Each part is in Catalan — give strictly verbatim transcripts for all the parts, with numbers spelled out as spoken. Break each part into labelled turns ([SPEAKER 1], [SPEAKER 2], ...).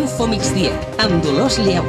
[SPEAKER 1] Info Migdia, amb Dolors Lleu.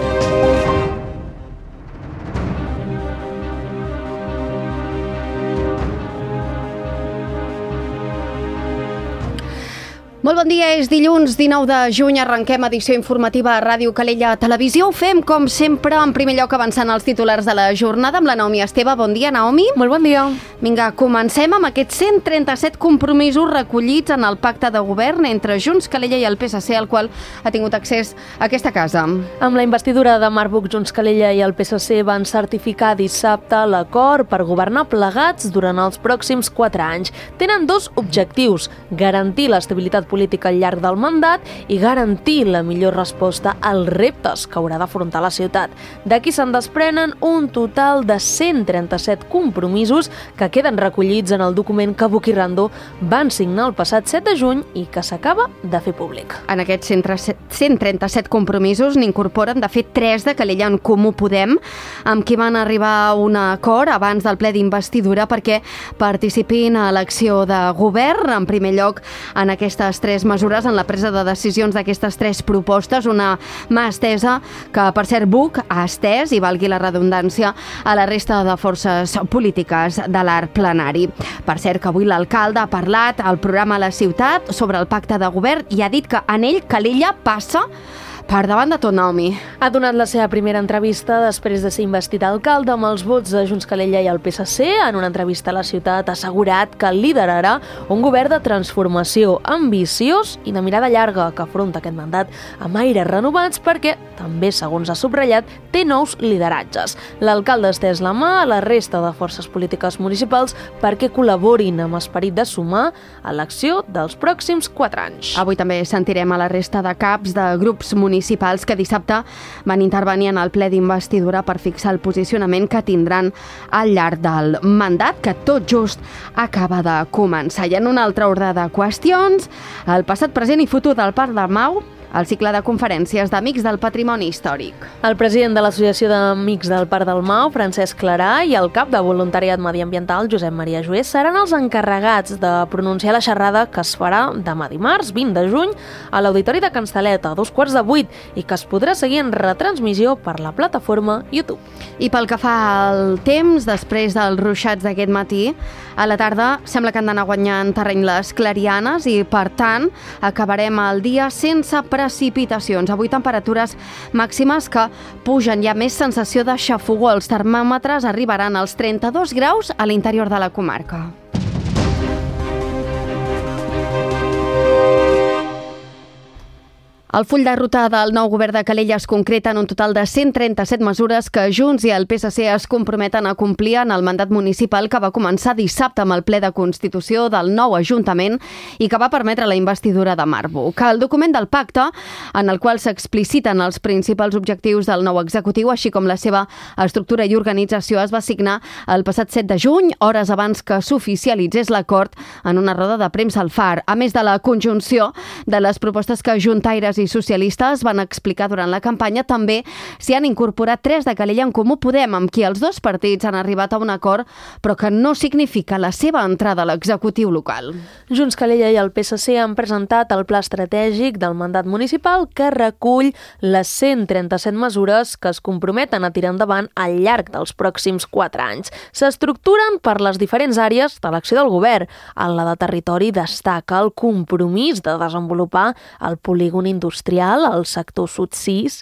[SPEAKER 2] Molt bon dia, és dilluns dinou de juny, arrenquem edició informativa a Ràdio Calella Televisió. Ho fem, com sempre, en primer lloc avançant els titulars de la jornada amb la Naomi Esteve. Bon dia, Naomi.
[SPEAKER 3] Molt bon dia.
[SPEAKER 2] Vinga, comencem amb aquests cent trenta-set compromisos recollits en el pacte de govern entre Junts, Calella i el P S C, al qual ha tingut accés a aquesta casa.
[SPEAKER 3] Amb la investidura de Marc Buch, Junts, Calella i el P S C van certificar dissabte l'acord per governar plegats durant els pròxims quatre anys. Tenen dos objectius: garantir l'estabilitat política al llarg del mandat i garantir la millor resposta als reptes que haurà d'afrontar la ciutat. D'aquí se'n desprenen un total de cent trenta-set compromisos que queden recollits en el document que Buch i Rando van signar el passat set de juny i que s'acaba de fer públic.
[SPEAKER 2] En aquests cent trenta-set compromisos n'incorporen, de fet, tres de Calella en Comú Podem, amb qui van arribar a un acord abans del ple d'investidura perquè participin a l'acció de govern. En primer lloc, en aquestes tres mesures, en la presa de decisions d'aquestes tres propostes, una mà estesa que, per cert, Buch ha estès, i valgui la redundància, a la resta de forces polítiques de l'arc plenari. Per cert, que avui l'alcalde ha parlat al programa La Ciutat sobre el pacte de govern i ha dit que en ell Calella passa per davant de tot, Naomi.
[SPEAKER 3] Ha donat la seva primera entrevista després de ser investit alcalde amb els vots de Junts, Calella i el P S C. En una entrevista a La Ciutat ha assegurat que liderarà un govern de transformació ambiciós i de mirada llarga que afronta aquest mandat amb aires renovats perquè, també segons ha subratllat, té nous lideratges. L'alcalde ha estès la mà a la resta de forces polítiques municipals perquè col·laborin amb esperit de sumar a l'acció dels pròxims quatre anys.
[SPEAKER 2] Avui també sentirem a la resta de caps de grups municipals municipals que dissabte van intervenir en el ple d'investidura per fixar el posicionament que tindran al llarg del mandat, que tot just acaba de començar. I en un altre ordre de qüestions, el passat, present i futur del Parc del Mau, el cicle de conferències d'Amics del Patrimoni Històric.
[SPEAKER 3] El president de l'Associació d'Amics del Parc del Mau, Francesc Clarà, i el cap de Voluntariat Mediambiental, Josep Maria Jués, seran els encarregats de pronunciar la xerrada que es farà demà dimarts, vint de juny, a l'Auditori de Can Salet, a dos quarts de vuit, i que es podrà seguir en retransmissió per la plataforma YouTube.
[SPEAKER 2] I pel que fa al temps, després dels ruixats d'aquest matí, a la tarda sembla que han d'anar guanyant terreny les clarianes i, per tant, acabarem el dia sense precipitacions. Avui temperatures màximes que pugen. Hi ha més sensació de xafogor. Els termòmetres arribaran als trenta-dos graus a l'interior de la comarca. El full de ruta del nou govern de Calella es concreta en un total de cent trenta-set mesures que Junts i el P S C es comprometen a complir en el mandat municipal que va començar dissabte amb el ple de constitució del nou Ajuntament i que va permetre la investidura de Marc Buch. El document del pacte, en el qual s'expliciten els principals objectius del nou executiu, així com la seva estructura i organització, es va signar el passat set de juny, hores abans que s'oficialitzés l'acord en una roda de premsa al Far. A més de la conjunció de les propostes que juntaires i socialistes van explicar durant la campanya, també s'hi han incorporat tres de Calella en Comú Podem, amb qui els dos partits han arribat a un acord, però que no significa la seva entrada a l'executiu local.
[SPEAKER 3] Junts, Calella i el P S C han presentat el pla estratègic del mandat municipal que recull les cent trenta-set mesures que es comprometen a tirar endavant al llarg dels pròxims quatre anys. S'estructuren per les diferents àrees de l'acció del govern. En la de territori destaca el compromís de desenvolupar el polígon industrial industrial al sector sud sis,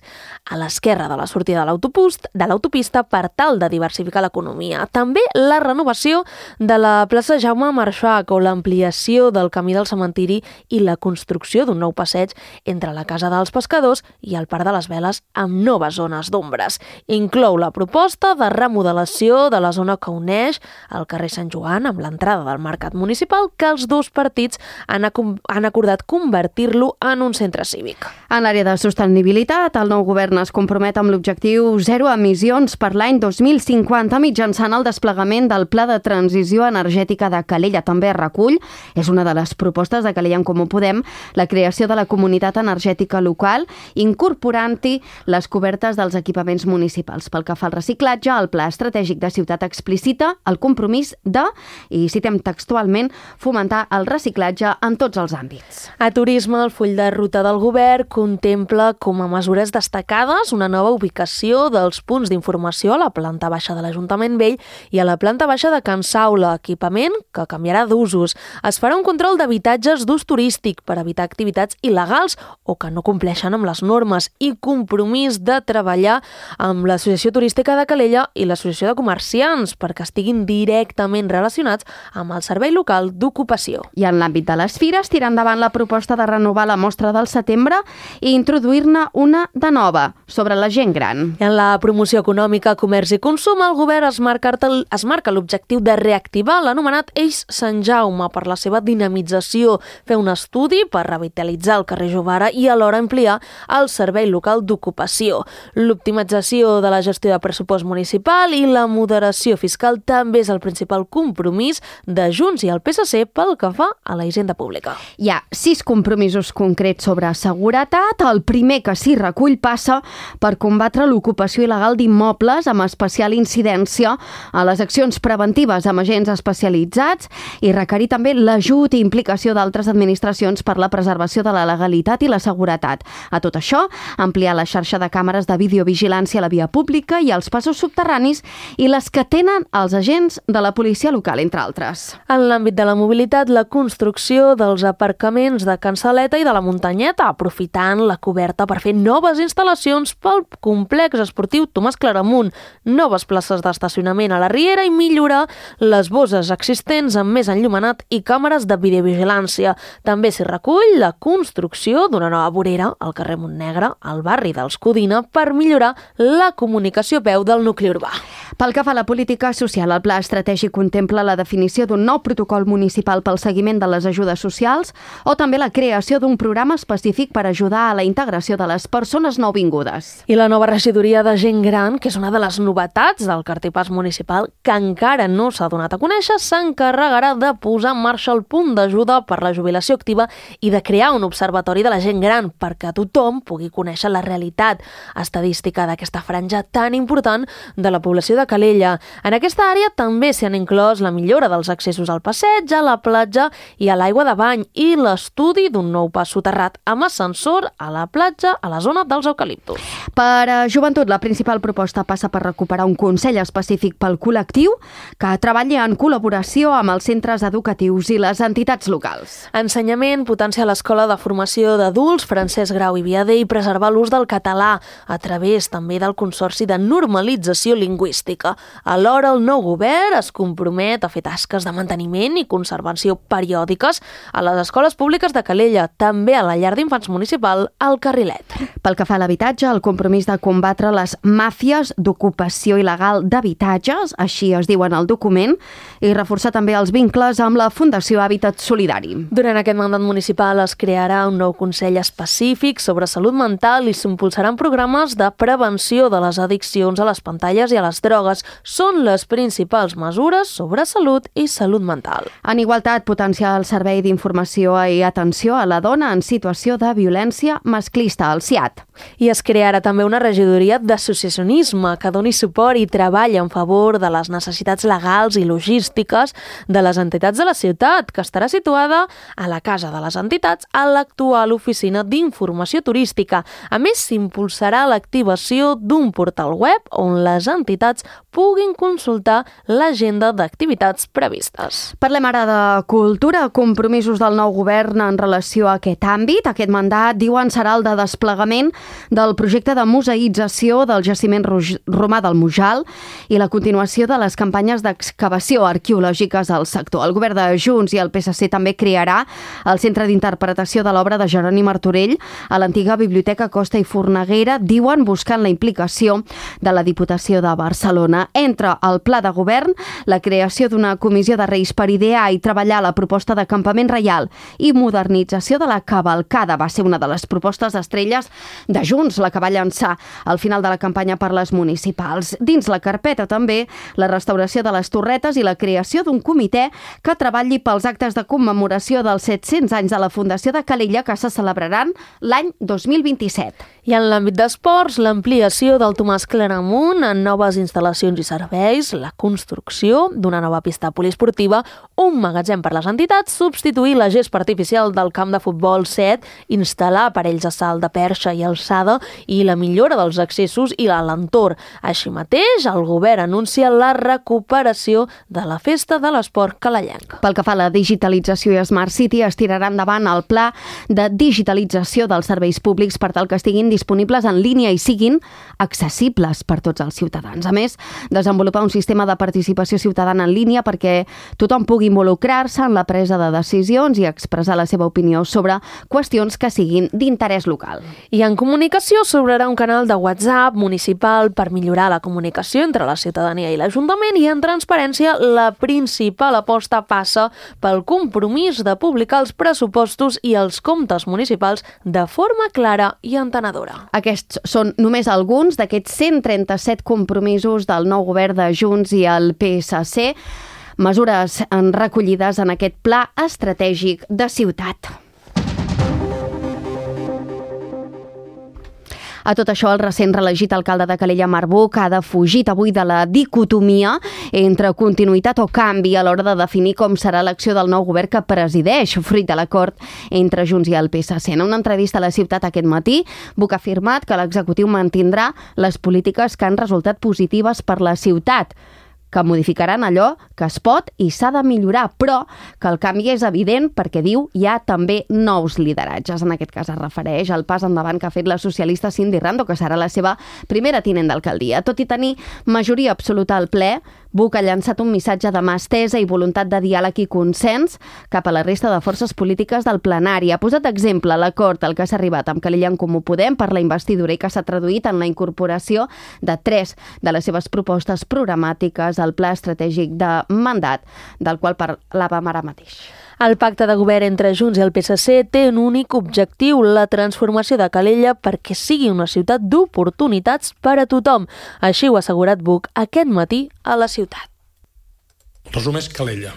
[SPEAKER 3] a l'esquerra de la sortida de l'autopista per tal de diversificar l'economia. També la renovació de la plaça Jaume Marxach o l'ampliació del camí del cementiri i la construcció d'un nou passeig entre la Casa dels Pescadors i el Parc de les Veles amb noves zones d'ombres. Inclou la proposta de remodelació de la zona que uneix el carrer Sant Joan amb l'entrada del mercat municipal que els dos partits han, han acordat convertir-lo en un centre cívic.
[SPEAKER 2] En l'àrea de sostenibilitat, el nou govern es compromet amb l'objectiu zero emissions per l'any dos mil cinquanta mitjançant el desplegament del Pla de Transició Energètica de Calella. També recull, és una de les propostes de Calella en Comú Podem, la creació de la comunitat energètica local, incorporant-hi les cobertes dels equipaments municipals. Pel que fa al reciclatge, el Pla Estratègic de Ciutat explicita el compromís de, i citem textualment, fomentar el reciclatge en tots els àmbits.
[SPEAKER 3] A turisme, el full de ruta del govern govern contempla com a mesures destacades una nova ubicació dels punts d'informació a la planta baixa de l'Ajuntament Vell i a la planta baixa de Can Saula, equipament que canviarà d'usos. Es farà un control d'habitatges d'ús turístic per evitar activitats il·legals o que no compleixen amb les normes i compromís de treballar amb l'Associació Turística de Calella i l'Associació de Comerciants perquè estiguin directament relacionats amb el Servei Local d'Ocupació.
[SPEAKER 2] I en l'àmbit de les fires, tira endavant la proposta de renovar la mostra del setembre i introduir-ne una de nova, sobre la gent gran.
[SPEAKER 3] I en la promoció econòmica, comerç i consum, el govern es marca, es marca l'objectiu de reactivar l'anomenat Eix Sant Jaume per la seva dinamització, fer un estudi per revitalitzar el carrer Jovara i alhora ampliar el Servei Local d'Ocupació. L'optimització de la gestió de pressupost municipal i la moderació fiscal també és el principal compromís de Junts i el P S C pel que fa a la hisenda pública.
[SPEAKER 2] Hi ha sis compromisos concrets sobre seguretat. El primer que s'hi recull passa per combatre l'ocupació il·legal d'immobles amb especial incidència a les accions preventives amb agents especialitzats i requerir també l'ajut i implicació d'altres administracions per la preservació de la legalitat i la seguretat. A tot això, ampliar la xarxa de càmeres de videovigilància a la via pública i als passos subterranis i les que tenen els agents de la policia local, entre altres.
[SPEAKER 3] En l'àmbit de la mobilitat, la construcció dels aparcaments de Can Saleta i de la Muntanyeta, aprofitant la coberta per fer noves instal·lacions pel complex esportiu Tomàs Claramunt, noves places d'estacionament a la Riera i millorar les bosses existents amb més enllumenat i càmeres de videovigilància. També s'hi recull la construcció d'una nova vorera al carrer Montnegre, al barri dels Codina, per millorar la comunicació a peu del nucli urbà.
[SPEAKER 2] Pel que fa a la política social, el pla estratègic contempla la definició d'un nou protocol municipal pel seguiment de les ajudes socials o també la creació d'un programa específic per ajudar a la integració de les persones nouvingudes.
[SPEAKER 3] I la nova regidoria de gent gran, que és una de les novetats del cartipàs municipal que encara no s'ha donat a conèixer, s'encarregarà de posar en marxa el punt d'ajuda per la jubilació activa i de crear un observatori de la gent gran perquè tothom pugui conèixer la realitat estadística d'aquesta franja tan important de la població de Calella. En aquesta àrea també s'hi han inclòs la millora dels accessos al passeig, a la platja i a l'aigua de bany i l'estudi d'un nou pas soterrat amb ascensor a la platja a la zona dels eucaliptus.
[SPEAKER 2] Per a joventut, la principal proposta passa per recuperar un consell específic pel col·lectiu que treballi en col·laboració amb els centres educatius i les entitats locals.
[SPEAKER 3] Ensenyament, potenciar l'Escola de Formació d'Adults Francesc Grau i Viader i preservar l'ús del català a través també del Consorci de Normalització Lingüística. Alhora, el nou govern es compromet a fer tasques de manteniment i conservació periòdiques a les escoles públiques de Calella, també a la llar d'infants municipal al Carrilet.
[SPEAKER 2] Pel que fa a l'habitatge, el compromís de combatre les màfies d'ocupació il·legal d'habitatges, així es diuen al document, i reforçar també els vincles amb la Fundació Hàbitat Solidari.
[SPEAKER 3] Durant aquest mandat municipal es crearà un nou consell específic sobre salut mental i s'impulsaran programes de prevenció de les addiccions a les pantalles i a les drogues. Són les principals mesures sobre salut i salut mental.
[SPEAKER 2] En igualtat, potenciar el servei d'informació i atenció a la dona en situació de violència masclista, el S I A T.
[SPEAKER 3] I es crearà també una regidoria d'associacionisme que doni suport i treballi en favor de les necessitats legals i logístiques de les entitats de la ciutat, que estarà situada a la Casa de les Entitats, a l'actual oficina d'informació turística. A més, s'impulsarà l'activació d'un portal web on les entitats puguin consultar l'agenda d'activitats previstes.
[SPEAKER 2] Parlem ara de cultura, compromisos del nou govern en relació a aquest àmbit. Aquest mandat, diuen, serà el de desplegament del projecte de museïtzació del jaciment romà del Mujal i la continuació de les campanyes d'excavació arqueològiques al sector. El govern de Junts i el P S C també crearà el Centre d'Interpretació de l'Obra de Jeroni Martorell a l'antiga Biblioteca Costa i Forneguera, diuen, buscant la implicació de la Diputació de Barcelona. Entre el pla de govern, la creació d'una comissió de Reis per idear i treballar la proposta de campament reial i modernització de la cavalcada va ser una de les propostes estrelles de Junts, la que va llançar al final de la campanya per les municipals. Dins la carpeta també la restauració de les torretes i la creació d'un comitè que treballi pels actes de commemoració dels set-cents anys de la Fundació de Calella que se celebraran l'any dos mil vint-i-set.
[SPEAKER 3] I en l'àmbit d'esports, l'ampliació del Tomàs Claramunt en noves instal·lacions i serveis, la construcció d'una nova pista poliesportiva, un magatzem per les entitats, substituir la gespa artificial del camp de futbol set, instal·lar instal·lar aparells de salt de perxa i alçada i la millora dels accessos i l'entorn. Així mateix, el govern anuncia la recuperació de la Festa de l'Esport calellenc.
[SPEAKER 2] Pel que fa a la digitalització i Smart City, es tirarà endavant el pla de digitalització dels serveis públics per tal que estiguin disponibles en línia i siguin accessibles per tots els ciutadans. A més, desenvolupar un sistema de participació ciutadana en línia perquè tothom pugui involucrar-se en la presa de decisions i expressar la seva opinió sobre qüestions que siguin d'interès local.
[SPEAKER 3] I en comunicació s'obrirà un canal de WhatsApp municipal per millorar la comunicació entre la ciutadania i l'Ajuntament, i en transparència la principal aposta passa pel compromís de publicar els pressupostos i els comptes municipals de forma clara i entenedora.
[SPEAKER 2] Aquests són només alguns d'aquests cent trenta-set compromisos del nou govern de Junts i el P S C, mesures recollides en aquest pla estratègic de ciutat. A tot això, el recent reelegit alcalde de Calella, Marc Buch, ha defugit avui de la dicotomia entre continuïtat o canvi a l'hora de definir com serà l'acció del nou govern que presideix, fruit de l'acord entre Junts i el P S C. En una entrevista a La Ciutat aquest matí, Buch ha afirmat que l'executiu mantindrà les polítiques que han resultat positives per la ciutat, que modificaran allò que es pot i s'ha de millorar, però que el canvi és evident perquè, diu, hi ha també nous lideratges. En aquest cas es refereix al pas endavant que ha fet la socialista Cindy Rando, que serà la seva primera tinent d'alcaldia. Tot i tenir majoria absoluta al ple, Buch ha llançat un missatge de mà estesa i voluntat de diàleg i consens cap a la resta de forces polítiques del plenari. Ha posat exemple l'acord al que s'ha arribat amb Calella en Comú Podem per la investidura i que s'ha traduït en la incorporació de tres de les seves propostes programàtiques al pla estratègic de mandat, del qual parlàvem ara mateix.
[SPEAKER 3] El pacte de govern entre Junts i el P S C té un únic objectiu, la transformació de Calella perquè sigui una ciutat d'oportunitats per a tothom. Així ho ha assegurat Buch aquest matí a La Ciutat.
[SPEAKER 4] El resum és Calella.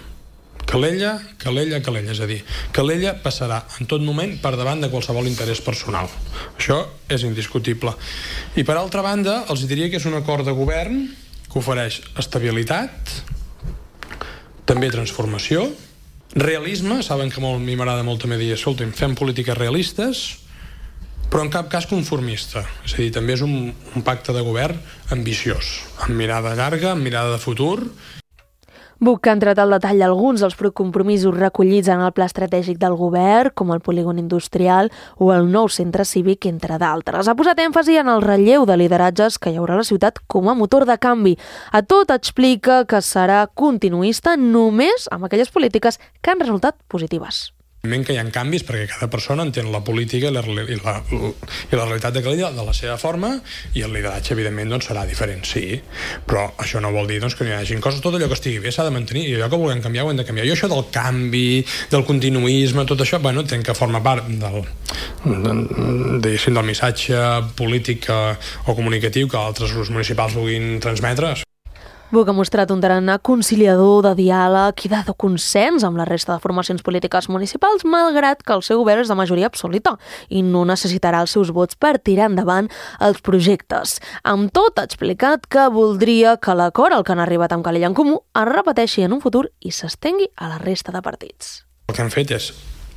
[SPEAKER 4] Calella, Calella, Calella. És a dir, Calella passarà en tot moment per davant de qualsevol interès personal. Això és indiscutible. I per altra banda, els diria que és un acord de govern que ofereix estabilitat, també transformació, realisme. Saben que molt, a mi m'agrada molt també dir, escolta'm, fem polítiques realistes, però en cap cas conformista. És a dir, també és un, un pacte de govern ambiciós, amb mirada llarga, amb mirada de futur.
[SPEAKER 3] Buch ha entrat al detall alguns dels compromisos recollits en el pla estratègic del govern, com el polígon industrial o el nou centre cívic, entre d'altres. Ha posat èmfasi en el relleu de lideratges que hi haurà a la ciutat com a motor de canvi. A tot explica que serà continuista només amb aquelles polítiques que han resultat positives.
[SPEAKER 4] Evidentment que hi ha canvis perquè cada persona entén la política i la, i la, i la realitat de Calella de la seva forma, i el lideratge evidentment doncs, serà diferent, sí, però això no vol dir doncs, que no hi hagi coses, tot allò que estigui bé s'ha de mantenir, i allò que vulguem canviar ho hem de canviar. Jo això del canvi, del continuisme, tot això, bueno, entenc que forma part del, de, del missatge polític o comunicatiu que altres grups municipals vulguin transmetre.
[SPEAKER 3] Buch ha mostrat un tarannà conciliador, de diàleg i de consens amb la resta de formacions polítiques municipals, malgrat que el seu govern és de majoria absoluta i no necessitarà els seus vots per tirar endavant els projectes. Amb tot, ha explicat que voldria que l'acord al que han arribat amb Calella en Comú es repeteixi en un futur i s'estengui a la resta de partits.
[SPEAKER 4] El que hem fet és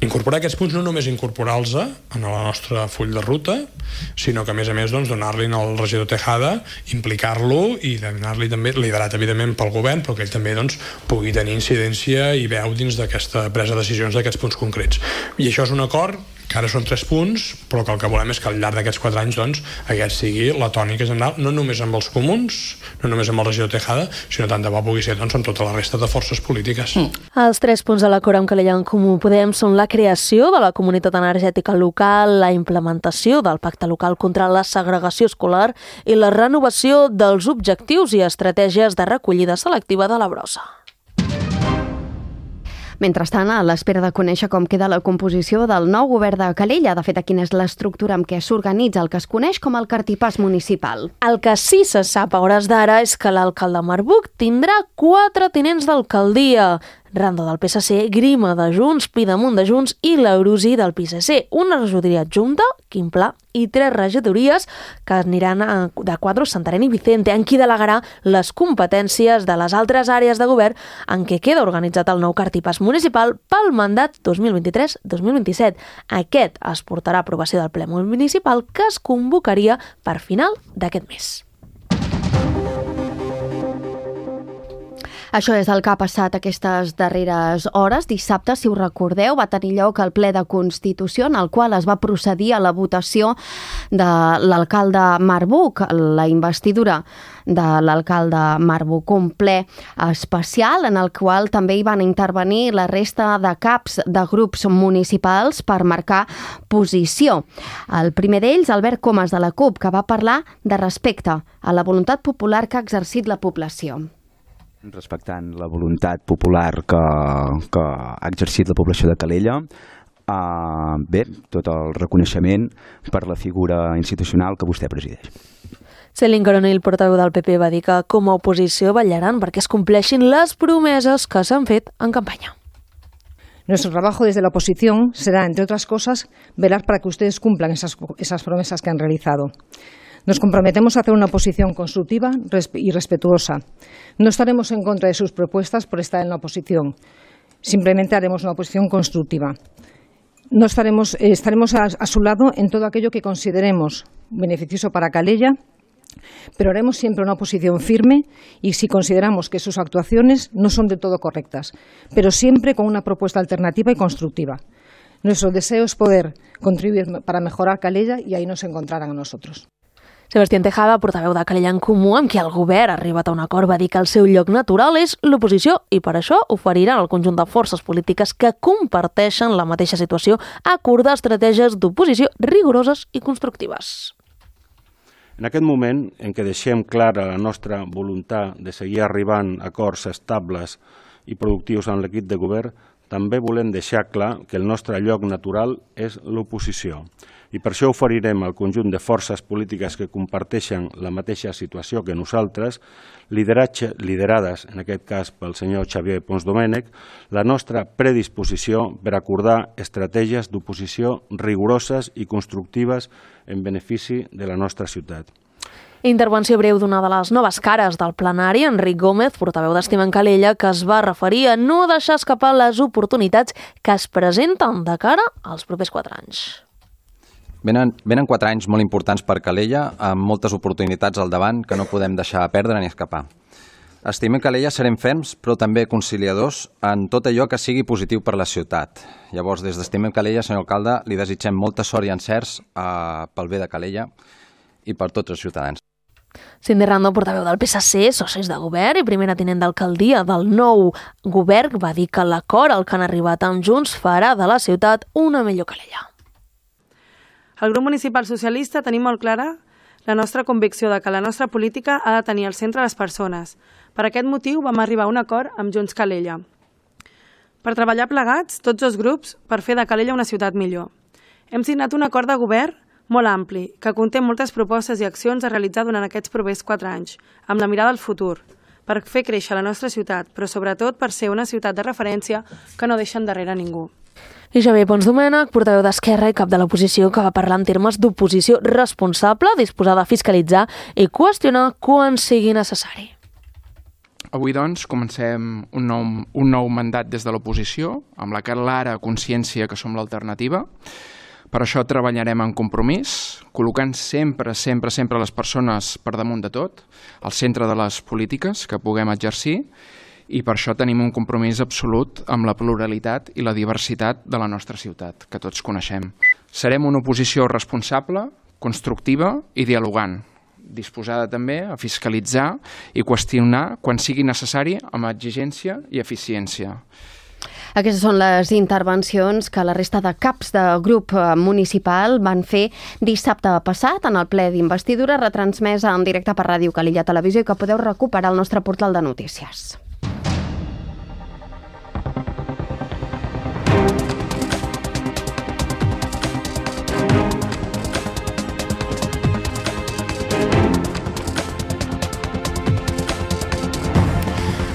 [SPEAKER 4] incorporar aquests punts, no només incorporar-los en el nostre full de ruta, sinó que a més a més doncs, donar-li al regidor Tejada, implicar-lo i donar-li també liderat evidentment pel govern, però que ell també doncs, pugui tenir incidència i veu dins d'aquesta presa de decisions d'aquests punts concrets. I això és un acord que ara són tres punts, però que el que volem és que al llarg d'aquests quatre anys doncs, aquest sigui la tònica general, no només amb els comuns, no només amb el regidor Tejada, sinó tant de bo pugui ser doncs, amb tota la resta de forces polítiques. Mm.
[SPEAKER 3] Els tres punts de l'acord amb Calella en Comú Podem són la creació de la comunitat energètica local, la implementació del pacte local contra la segregació escolar i la renovació dels objectius i estratègies de recollida selectiva de la brossa.
[SPEAKER 2] Mentrestant, a l'espera de conèixer com queda la composició del nou govern de Calella, de fet, quina és l'estructura amb què s'organitza el que es coneix com el cartipàs municipal.
[SPEAKER 3] El que sí se sap a hores d'ara és que l'alcalde Marc Buch tindrà quatre tinents d'alcaldia. Rando del P S C, Grima de Junts, Pidemunt de Junts i l'Eurosi del P S C. Una regidoria adjunta, Quim Pla, i tres regidories que aniran a, de Quadros, Santarém i Vicente, en qui delegarà les competències de les altres àrees de govern en què queda organitzat el nou cartipàs municipal pel mandat dos mil vint-i-tres dos mil vint-i-set. Aquest es portarà a aprovació del ple municipal que es convocaria per final d'aquest mes.
[SPEAKER 2] Això és el que ha passat aquestes darreres hores. Dissabte, si us recordeu, va tenir lloc el ple de Constitució en el qual es va procedir a la votació de l'alcalde Marc Buch, la investidura de l'alcalde Marc Buch, un ple especial en el qual també hi van intervenir la resta de caps de grups municipals per marcar posició. El primer d'ells, Albert Comas de la CUP, que va parlar de respecte a la voluntat popular que ha exercit la població.
[SPEAKER 5] Respectant la voluntat popular que, que ha exercit la població de Calella, eh, bé, tot el reconeixement per la figura institucional que vostè presideix.
[SPEAKER 3] Céline Coronel, portaveu del P P, va dir que com a oposició vetllaran perquè es compleixin les promeses que s'han fet en campanya.
[SPEAKER 6] Nuestro trabajo desde la oposición será, entre otras cosas, velar para que ustedes cumplan esas, esas promesas que han realizado. Nos comprometemos a hacer una oposición constructiva y respetuosa. No estaremos en contra de sus propuestas por estar en la oposición. Simplemente haremos una oposición constructiva. No estaremos, eh, estaremos a, a su lado en todo aquello que consideremos beneficioso para Calella, pero haremos siempre una oposición firme y si consideramos que sus actuaciones no son del todo correctas, pero siempre con una propuesta alternativa y constructiva. Nuestro deseo es poder contribuir para mejorar Calella y ahí nos encontrarán a nosotros.
[SPEAKER 3] Sebastián Tejada, portaveu de Calella en Comú, amb qui el govern ha arribat a un acord, va dir que el seu lloc natural és l'oposició i per això oferiran al conjunt de forces polítiques que comparteixen la mateixa situació acordar estratègies d'oposició rigoroses i constructives.
[SPEAKER 7] En aquest moment en què deixem clara la nostra voluntat de seguir arribant a acords estables i productius amb l'equip de govern, també volem deixar clar que el nostre lloc natural és l'oposició. I per això oferirem al conjunt de forces polítiques que comparteixen la mateixa situació que nosaltres, liderades, en aquest cas pel senyor Xavier Pons Domènech, la nostra predisposició per acordar estratègies d'oposició rigoroses i constructives en benefici de la nostra ciutat.
[SPEAKER 3] Intervenció breu d'una de les noves cares del plenari, Enric Gómez, portaveu d'Estima en Calella, que es va referir a no deixar escapar les oportunitats que es presenten de cara als propers quatre anys.
[SPEAKER 8] Venen, venen quatre anys molt importants per Calella, amb moltes oportunitats al davant que no podem deixar perdre ni escapar. Estimem Calella, serem ferms, però també conciliadors en tot allò que sigui positiu per la ciutat. Llavors, des d'Estimem Calella, senyor alcalde, li desitgem molta sort i encerts eh, pel bé de Calella i per tots els ciutadans.
[SPEAKER 3] Cindy Rando, portaveu del P S C, socis de govern i primera tinent d'alcaldia del nou govern, va dir que l'acord al que han arribat amb Junts farà de la ciutat una millor Calella.
[SPEAKER 9] El grup municipal socialista tenim molt clara la nostra convicció de que la nostra política ha de tenir al centre les persones. Per aquest motiu vam arribar a un acord amb Junts Calella. Per treballar plegats, tots els grups, per fer de Calella una ciutat millor. Hem signat un acord de govern molt ampli, que conté moltes propostes i accions a realitzar durant aquests propers quatre anys, amb la mirada al futur, per fer créixer la nostra ciutat, però sobretot per ser una ciutat de referència que no deixa endarrere ningú.
[SPEAKER 3] I Xavier Pons Domènech, portaveu d'Esquerra i cap de l'oposició, que va parlar en termes d'oposició responsable, disposada a fiscalitzar i qüestionar quan sigui necessari.
[SPEAKER 10] Avui, doncs, comencem un nou, un nou mandat des de l'oposició, amb la clara consciència que som l'alternativa. Per això treballarem en compromís, col·locant sempre, sempre, sempre les persones per damunt de tot, al centre de les polítiques que puguem exercir, i per això tenim un compromís absolut amb la pluralitat i la diversitat de la nostra ciutat, que tots coneixem. Serem una oposició responsable, constructiva i dialogant, disposada també a fiscalitzar i qüestionar quan sigui necessari amb exigència i eficiència.
[SPEAKER 2] Aquestes són les intervencions que la resta de caps de grup municipal van fer dissabte passat en el ple d'investidura, retransmesa en directe per Ràdio Calella Televisió i que podeu recuperar al nostre portal de notícies.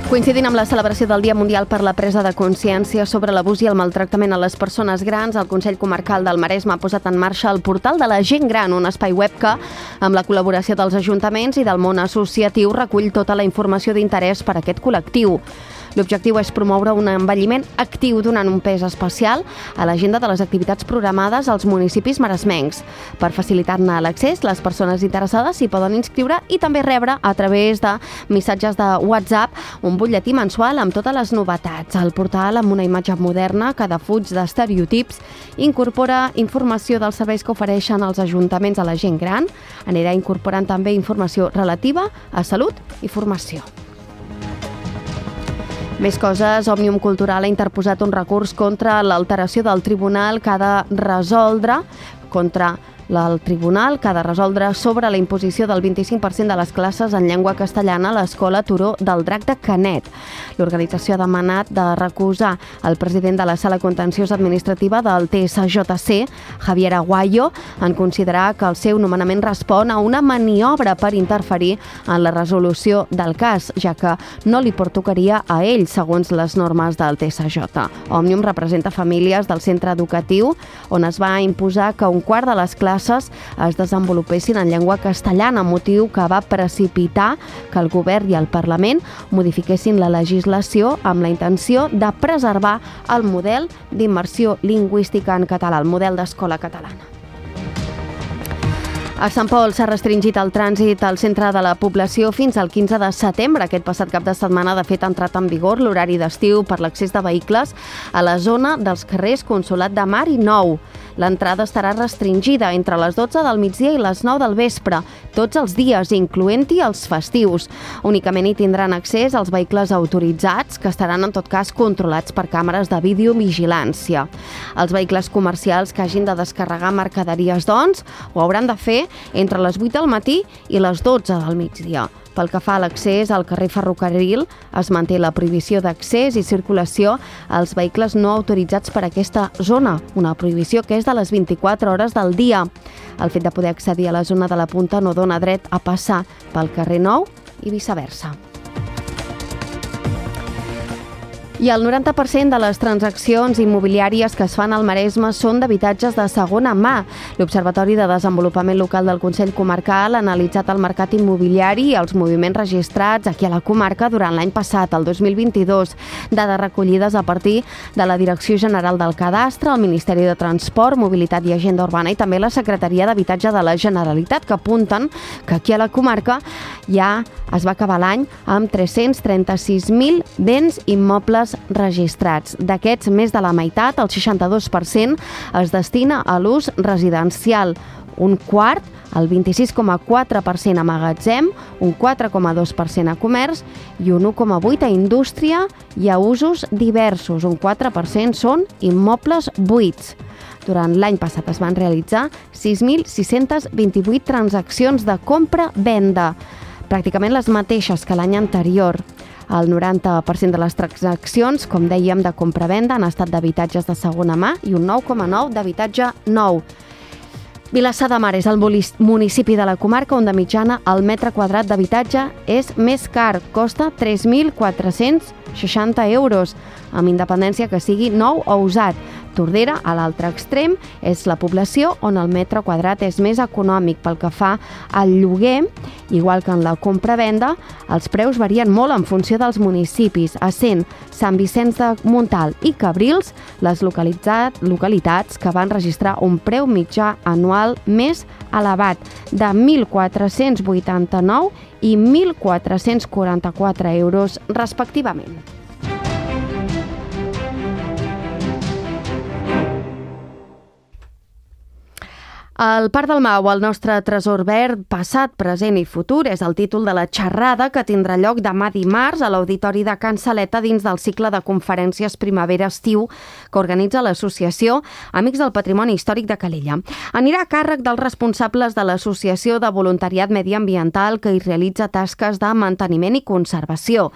[SPEAKER 2] Coincidint amb la celebració del Dia Mundial per la presa de consciència sobre l'abús i el maltractament a les persones grans, el Consell Comarcal del Maresme ha posat en marxa el portal de la gent gran, un espai web que, amb la col·laboració dels ajuntaments i del món associatiu, recull tota la informació d'interès per a aquest col·lectiu. L'objectiu és promoure un envelliment actiu donant un pes especial a l'agenda de les activitats programades als municipis maresmencs. Per facilitar-ne l'accés, les persones interessades s'hi poden inscriure i també rebre a través de missatges de WhatsApp un butlletí mensual amb totes les novetats. El portal, amb una imatge moderna que defuig d'estereotips, incorpora informació dels serveis que ofereixen els ajuntaments a la gent gran. Anirà incorporant també informació relativa a salut i formació. Més coses, Òmnium Cultural ha interposat un recurs contra l'alteració del tribunal que ha de resoldre contra el tribunal que ha de resoldre sobre la imposició del vint-i-cinc per cent de les classes en llengua castellana a l'Escola Turó del Drac de Canet. L'organització ha demanat de recusar el president de la Sala Contenciosa Administrativa del T S J C, Javier Aguayo, en considerar que el seu nomenament respon a una maniobra per interferir en la resolució del cas, ja que no li pertocaria a ell, segons les normes del T S J. Òmnium representa famílies del centre educatiu on es va imposar que un quart de les classes es desenvolupessin en llengua castellana, motiu que va precipitar que el govern i el Parlament modifiquessin la legislació amb la intenció de preservar el model d'immersió lingüística en català, el model d'escola catalana. A Sant Pol s'ha restringit el trànsit al centre de la població fins al quinze de setembre. Aquest passat cap de setmana, de fet, ha entrat en vigor l'horari d'estiu per l'accés de vehicles a la zona dels carrers Consolat de Mar i Nou. L'entrada estarà restringida entre les dotze del migdia i les nou del vespre, tots els dies, incloent-hi els festius. Únicament hi tindran accés els vehicles autoritzats, que estaran en tot cas controlats per càmeres de videovigilància. Els vehicles comercials que hagin de descarregar mercaderies, doncs, ho hauran de fer entre les vuit del matí i les dotze del migdia. Pel que fa a l'accés al carrer Ferrocarril, es manté la prohibició d'accés i circulació als vehicles no autoritzats per aquesta zona, una prohibició que és de les vint-i-quatre hores del dia. El fet de poder accedir a la zona de la Punta no dona dret a passar pel carrer Nou i viceversa. I el noranta per cent de les transaccions immobiliàries que es fan al Maresme són d'habitatges de segona mà. L'Observatori de Desenvolupament Local del Consell Comarcal ha analitzat el mercat immobiliari i els moviments registrats aquí a la comarca durant l'any passat, el dos mil vint-i-dos, dades recollides a partir de la Direcció General del Cadastre, el Ministeri de Transport, Mobilitat i Agenda Urbana i també la Secretaria d'Habitatge de la Generalitat, que apunten que aquí a la comarca ja es va acabar l'any amb tres-cents trenta-sis mil béns immobles registrats. D'aquests, més de la meitat, el seixanta-dos per cent, es destina a l'ús residencial, un quart, el vint-i-sis coma quatre per cent a magatzem, un quatre coma dos per cent a comerç i un u coma vuit per cent a indústria i a usos diversos. Un quatre per cent són immobles buits. Durant l'any passat es van realitzar sis mil sis-cents vint-i-vuit transaccions de compra-venda, pràcticament les mateixes que l'any anterior. El noranta per cent de les transaccions, com dèiem, de compra-venda han estat d'habitatges de segona mà i un nou coma nou d'habitatge nou. Vilassar de Mar és el municipi de la comarca on de mitjana el metre quadrat d'habitatge és més car, costa tres mil quatre-cents seixanta euros, amb independència que sigui nou o usat. Tordera, a l'altre extrem, és la població on el metre quadrat és més econòmic. Pel que fa al lloguer, igual que en la compra-venda, els preus varien molt en funció dels municipis, essent Sant Vicenç de Montalt i Cabrils les localitats que van registrar un preu mitjà anual més elevat, de mil quatre-cents vuitanta-nou i mil quatre-cents quaranta-quatre euros respectivament. El Parc del Mau, el nostre tresor verd, passat, present i futur, és el títol de la xerrada que tindrà lloc demà dimarts a l'Auditori de Can Saleta dins del cicle de conferències primavera-estiu que organitza l'associació Amics del Patrimoni Històric de Calella. Anirà a càrrec dels responsables de l'Associació de Voluntariat Mediambiental que hi realitza tasques de manteniment i conservació.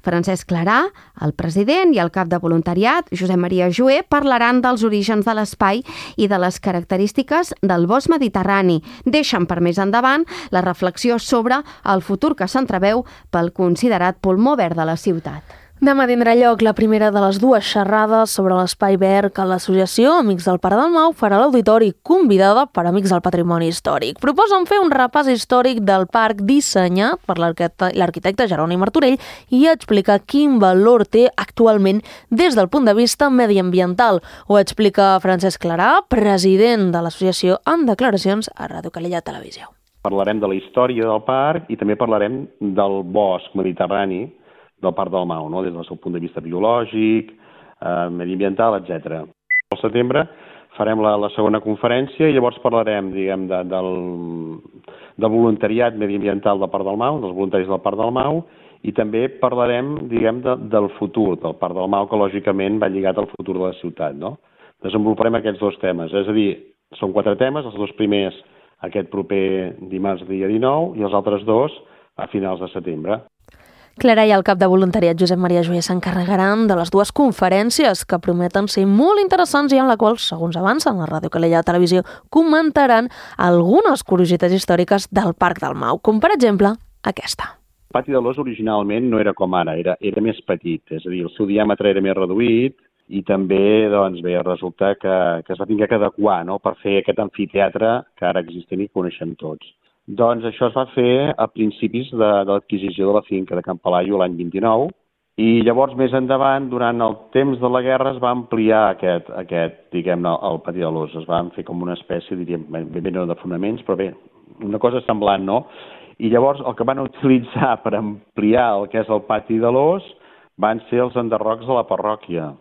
[SPEAKER 2] Francesc Clarà, el president, i el cap de voluntariat, Josep Maria Joé, parlaran dels orígens de l'espai i de les característiques del bosc bosc mediterrani. Deixen per més endavant la reflexió sobre el futur que s'entreveu pel considerat pulmó verd de la ciutat.
[SPEAKER 3] Demà tindrà lloc la primera de les dues xerrades sobre l'espai verd que l'associació Amics del Parc del Mau farà a l'auditori, convidada per Amics del Patrimoni Històric. Proposen fer un repàs històric del parc dissenyat per l'arquitecte Jeroni Martorell i explicar quin valor té actualment des del punt de vista mediambiental. Ho explica Francesc Clarà, president de l'associació, en declaracions a Ràdio Calella Televisió.
[SPEAKER 11] Parlarem de la història del parc i també parlarem del bosc mediterrani del Parc del Mau, no? Des del seu punt de vista biològic, eh, mediambiental, etcètera. Al setembre farem la, la segona conferència i llavors parlarem, diguem, de, del, del voluntariat mediambiental del Parc del Mau, dels voluntaris del Parc del Mau, i també parlarem, diguem, de, del futur del Parc del Mau, que lògicament va lligat al futur de la ciutat, no? Desenvoluparem aquests dos temes, és a dir, són quatre temes, els dos primers aquest proper dimarts dia dinou i els altres dos a finals de setembre.
[SPEAKER 3] Clarà i el cap de voluntariat Josep Maria Joyer s'encarregaran de les dues conferències que prometen ser molt interessants i en la qual, segons avancen la Ràdio Calella Televisió, comentaran algunes curiositats històriques del Parc del Mau, com per exemple aquesta.
[SPEAKER 11] El pati de l'Os originalment no era com ara, era, era més petit, és a dir, el seu diàmetre era més reduït i també, doncs bé, resulta que, que es va haver d'adequar, no?, per fer aquest amfiteatre que ara existent i coneixem tots. Doncs això es va fer a principis de, de l'adquisició de la finca de Can Palaio l'any vint-i-nou i llavors més endavant, durant el temps de la guerra, es va ampliar aquest, aquest diguem-ne, el pati de l'Os. Es van fer com una espècie, diríem, ben bé no de fonaments, però bé, una cosa semblant, no? I llavors el que van utilitzar per ampliar el que és el pati de l'Os van ser els enderrocs de la parròquia.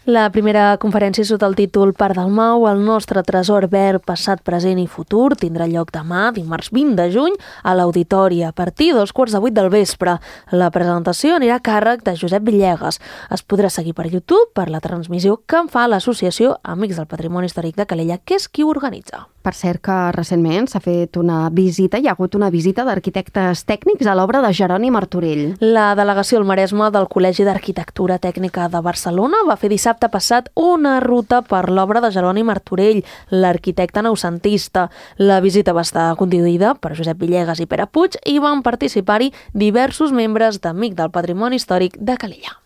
[SPEAKER 3] La primera conferència sota el títol Parc del Mau, el nostre tresor verd passat, present i futur, tindrà lloc demà, dimarts vint de juny, a l'auditori a partir dels quarts de vuit del vespre. La presentació anirà a càrrec de Josep Villegas. Es podrà seguir per YouTube per la transmissió que en fa l'associació Amics del Patrimoni Històric de Calella, que és qui ho organitza.
[SPEAKER 2] Per cert que recentment s'ha fet una visita, hi ha hagut una visita d'arquitectes tècnics a l'obra de Jeroni Martorell.
[SPEAKER 3] La delegació al Maresme del Col·legi d'Arquitectura Tècnica de Barcelona va fer dissabte passat una ruta per l'obra de Jeroni Martorell, l'arquitecte noucentista. La visita va estar conduïda per Josep Villegas i Pere Puig i van participar-hi diversos membres d'Amics del Patrimoni Històric de Calella.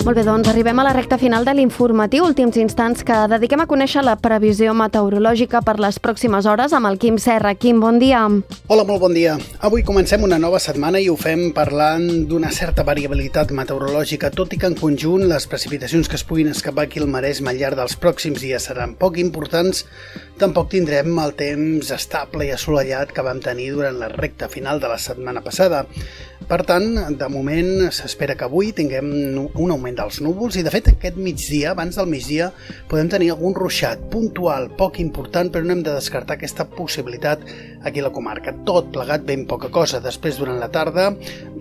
[SPEAKER 2] Molt bé, doncs arribem a la recta final de l'informatiu, últims instants que dediquem a conèixer la previsió meteorològica per les pròximes hores amb el Quim Serra. Quim, bon dia.
[SPEAKER 12] Hola, molt bon dia. Avui comencem una nova setmana i ho fem parlant d'una certa variabilitat meteorològica, tot i que en conjunt les precipitacions que es puguin escapar aquí al Maresme al llarg dels pròxims dies seran poc importants. Tampoc tindrem el temps estable i assolellat que vam tenir durant la recta final de la setmana passada. Per tant, de moment s'espera que avui tinguem un augment dels núvols i, de fet, aquest migdia, abans del migdia, podem tenir algun ruixat puntual, poc important, però no hem de descartar aquesta possibilitat aquí a la comarca. Tot plegat ben poca cosa. Després, durant la tarda,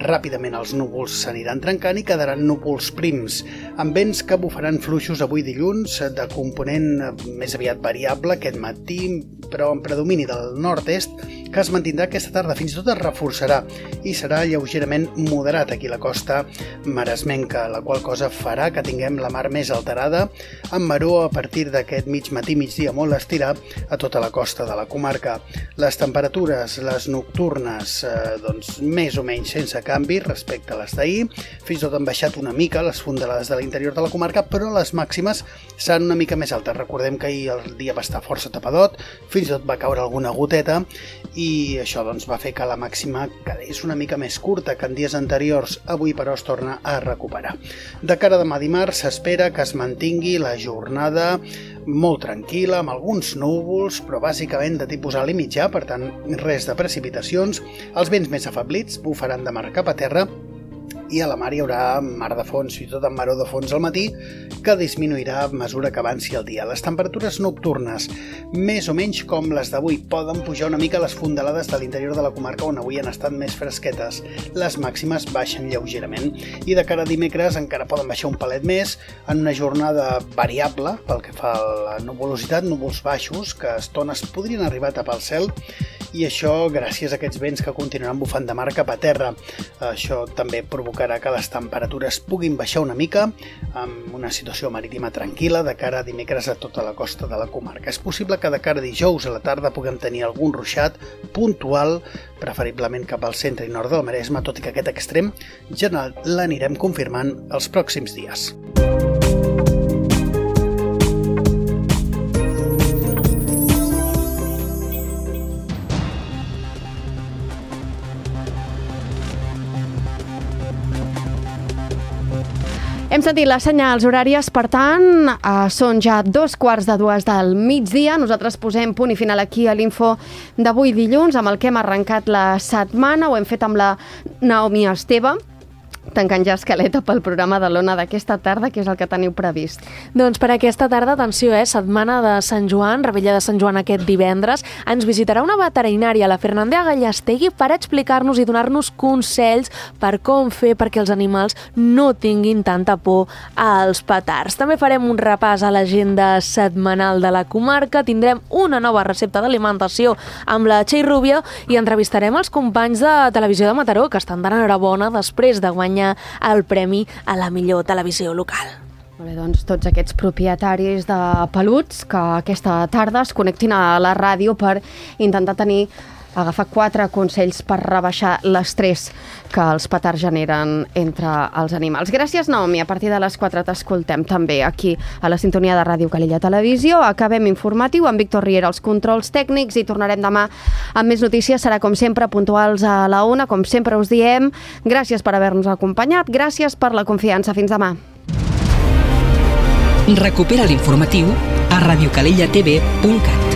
[SPEAKER 12] ràpidament els núvols s'aniran trencant i quedaran núvols prims, amb vents que bufaran fluixos avui dilluns, de component més aviat variable aquest matí, però en predomini del nord-est, que es mantindrà aquesta tarda, fins i tot es reforçarà i serà lleugerament moderat aquí a la costa maresmenca, la qual cosa farà que tinguem la mar més alterada, amb maró a partir d'aquest mig matí, migdia molt estirat a tota la costa de la comarca. Les temperatures, les nocturnes, eh, doncs més o menys sense canvi respecte a les d'ahir, fins i tot han baixat una mica les fondalades de l'interior de la comarca, però les màximes seran una mica més altes. Recordem que ahir el dia va estar força tapadot, fins i tot va caure alguna goteta, i això doncs, va fer que la màxima quedés una mica més curta que en dies anteriors. Avui, però, es torna a recuperar. De cara a demà dimarts s'espera que es mantingui la jornada molt tranquil·la, amb alguns núvols, però bàsicament de tipus alt i mitjà, per tant, res de precipitacions. Els vents més afablits bufaran de mar cap a terra i a la mar hi haurà mar de fons, fins i tot amb maró de fons al matí, que disminuirà a mesura que avanci el dia. Les temperatures nocturnes, més o menys com les d'avui, poden pujar una mica les fondalades de l'interior de la comarca on avui han estat més fresquetes. Les màximes baixen lleugerament i de cara a dimecres encara poden baixar un palet més en una jornada variable pel que fa a la nuvolositat, núvols baixos que a estones podrien arribar a tapar el cel i això gràcies a aquests vents que continuaran bufant de mar cap a terra. Això també provocarà que les temperatures puguin baixar una mica, amb una situació marítima tranquil·la de cara a dimecres a tota la costa de la comarca. És possible que de cara a dijous a la tarda puguem tenir algun ruixat puntual, preferiblement cap al centre i nord del Maresme, tot i que aquest extrem general l'anirem confirmant els pròxims dies.
[SPEAKER 2] Hem sentit les senyals horàries, per tant, eh, són ja dos quarts de dues del migdia. Nosaltres posem punt i final aquí a l'info d'avui dilluns, amb el que hem arrencat la setmana. Ho hem fet amb la Naomi Esteve, tancant ja escaleta pel programa de l'Ona d'aquesta tarda, que és el que teniu previst.
[SPEAKER 3] Doncs per aquesta tarda, atenció, eh? Setmana de Sant Joan, Revetlla de Sant Joan aquest divendres, ens visitarà una veterinària, la Fernandea Gallastegui, per explicar-nos i donar-nos consells per com fer perquè els animals no tinguin tanta por als petards. També farem un repàs a l'agenda setmanal de la comarca, tindrem una nova recepta d'alimentació amb la Txell Rubia i entrevistarem els companys de Televisió de Mataró, que estan d'enhorabona després de guanyar el premi a la millor televisió local.
[SPEAKER 2] Molt bé, doncs tots aquests propietaris de peluts que aquesta tarda es connectin a la ràdio per intentar tenir, agafar quatre consells per rebaixar l'estrès que els petards generen entre els animals. Gràcies, Naomi. A partir de les quatre t'escoltem també aquí a la sintonia de Ràdio Calella Televisió. Acabem informatiu amb Víctor Riera als controls tècnics i tornarem demà amb més notícies. Serà com sempre puntuals a la una, com sempre us diem. Gràcies per haver-nos acompanyat, gràcies per la confiança. Fins demà.
[SPEAKER 1] Recupera l'informatiu a radiocalellatv punt cat.